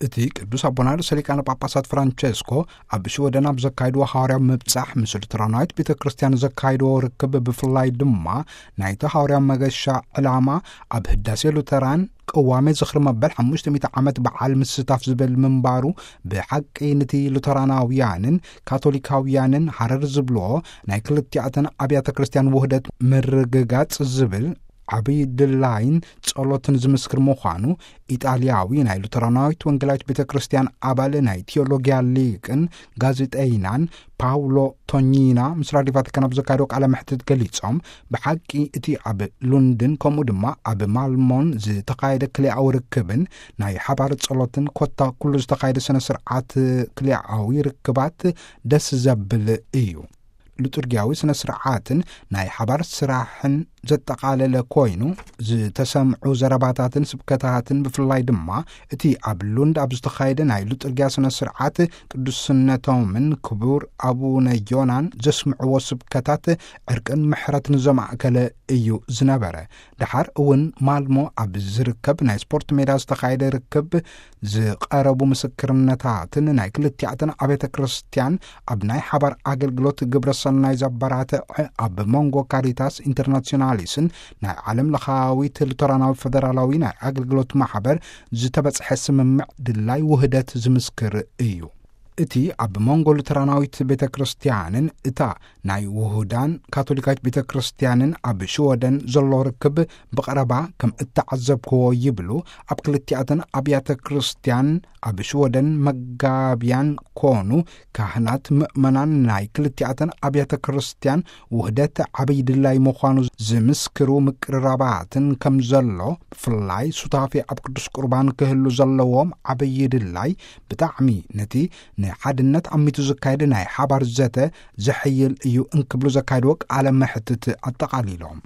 እቲ ቅዱስ ኣቦና ርእሰ ሊቃነ ጳጳሳት ፍራንቸስኮ ኣብ ሽወደን ኣብ ዘካይድዎ ሃዋርያዊ ምብጻሕ፣ ምስ ሉተራናዊት ቤተ ክርስቲያን ዘካይድዎ ርክብ፣ ብፍላይ ድማ ናይቲ ሃዋርያዊ መገሻ ዕላማ ኣብ ህዳሴ ሉተራን ቅዋሜ ዝኽሪ መበል ሓሙሽተ ሚእቲ ዓመት በዓል ምስታፍ ዝብል ምንባሩ፣ ብሓቂ ንቲ ሉተራናውያንን ካቶሊካውያንን ሃረር ዝብልዎ ናይ ክልቲኣተን ኣብያተ ክርስቲያን ውህደት ምርግጋጽ ዝብል ዓብዪ ድላይን ጸሎትን ዝምስክር ምዃኑ፣ ኢጣልያዊ ናይ ሉተራናዊት ወንጌላዊት ቤተ ክርስቲያን ኣባል ናይ ቲዮሎጊያ ሊቅን ጋዜጠይናን ፓውሎ ቶኚና ምስ ራዲዮ ቫቲካን ኣብ ዘካየዶ ቃለ መሕትት ገሊጾም፣ ብሓቂ እቲ ኣብ ሉንድን ከምኡ ድማ ኣብ ማልሞን ዝተኻየደ ክልኣዊ ርክብን ናይ ሓባር ጸሎትን ኮታ ኩሉ ዝተኻየደ ስነ ስርዓት ክልኣዊ ርክባት ደስ ዘብል እዩ። ሊጡርጊያዊ ስነ ስርዓትን ናይ ሓባር ስራሕን ዘጠቓለለ ኮይኑ፣ ዝተሰምዑ ዘረባታትን ስብከታትን፣ ብፍላይ ድማ እቲ ኣብ ሉንድ ኣብ ዝተኻየደ ናይ ሊጡርጊያ ስነ ስርዓት፣ ቅዱስነቶምን ክቡር ኣቡነ ዮናን ዘስምዕዎ ስብከታት ዕርቅን ምሕረትን ዘማእከለ እዩ ዝነበረ። ደሓር እውን ማልሞ ኣብ ዝርከብ ናይ ስፖርት ሜዳ ዝተኻየደ ርክብ ዝቐረቡ ምስክርነታትን ናይ ክልቲኣተን ኣብያተ ክርስቲያን ኣብ ናይ ሓባር ኣገልግሎት ግብረ ሰናይ ዘበራትዕ፣ ኣብ መንጎ ካሪታስ ኢንተርናሲዮናሊስን ናይ ዓለም ለኻዊት ሉተራናዊ ፈደራላዊ ናይ ኣገልግሎት ማሕበር ዝተበጽሐ ስምምዕ ድላይ ውህደት ዝምስክር እዩ። እቲ ኣብ መንጎ ሉተራናዊት ቤተ ክርስቲያንን እታ ናይ ውሁዳን ካቶሊካዊት ቤተ ክርስቲያንን ኣብ ሽወደን ዘሎ ርክብ ብቐረባ ከም እተዓዘብክዎ ይብሉ፣ ኣብ ክልቲኣተን ኣብያተ ክርስቲያን ኣብ ሽወደን መጋብያን ኮኑ ካህናት ምእመናን ናይ ክልቲኣተን ኣብያተ ክርስቲያን ውህደት ዓብዪ ድላይ ምዃኑ ዝምስክሩ ምቅርራባትን ከም ዘሎ፣ ብፍላይ ሱታፌ ኣብ ቅዱስ ቁርባን ክህሉ ዘለዎም ዓብዪ ድላይ ብጣዕሚ ነቲ ንሓድነት ኣሚቱ ዝካየድ ናይ ሓባር ዘተ ዘሕይል እዩ እንክብሉ ዘካየድዎ ቃለ መሕትት ኣጠቓሊሎም።